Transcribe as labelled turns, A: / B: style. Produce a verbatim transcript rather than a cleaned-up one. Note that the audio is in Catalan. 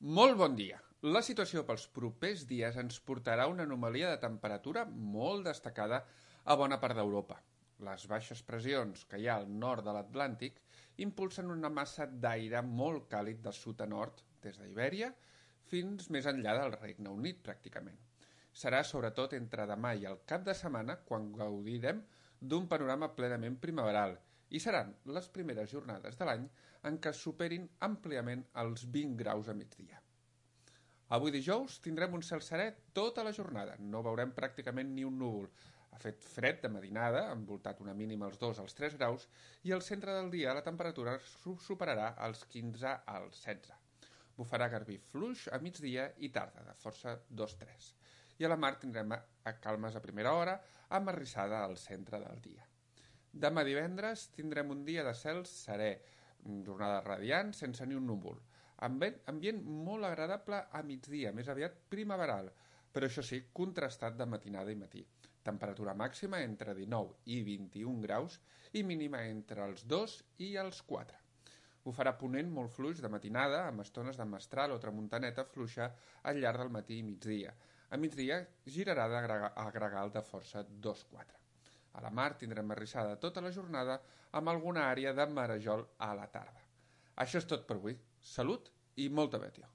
A: Molt bon dia. La situació pels propers dies ens portarà a una anomalia de temperatura molt destacada a bona part d'Europa. Les baixes pressions que hi ha al nord de l'Atlàntic impulsen una massa d'aire molt càlid de sud a nord, des d'Ibèria fins més enllà del Regne Unit, pràcticament. Serà sobretot entre demà i el cap de setmana quan gaudirem d'un panorama plenament primaveral i seran les primeres jornades de l'any en què superin àmpliament els vint graus a migdia. Avui dijous tindrem un cel serè tota la jornada, no veurem pràcticament ni un núvol. Ha fet fred de matinada, envoltat una mínima als dos als tres graus, i al centre del dia la temperatura superarà els quinze als setze. Bufarà garbí fluix a migdia i tarda, de força dos tres. I a la mar tindrem a calmes a primera hora, amb arrissada al centre del dia. Demà divendres tindrem un dia de cel serè, jornada radiant sense ni un núvol. Ambient molt agradable a migdia, més aviat primaveral, però això sí, contrastat de matinada i matí. Temperatura màxima entre dinou i vint-i-un graus i mínima entre els dos i els quatre. Bufarà ponent molt fluix de matinada, amb estones de mestral o tramuntaneta fluixa al llarg del matí i migdia. A migdia girarà a gregal de força dos quatre. A la mar tindrem arrissada tota la jornada amb alguna àrea de marejol a la tarda. Això és tot per avui. Salut i molta bètia.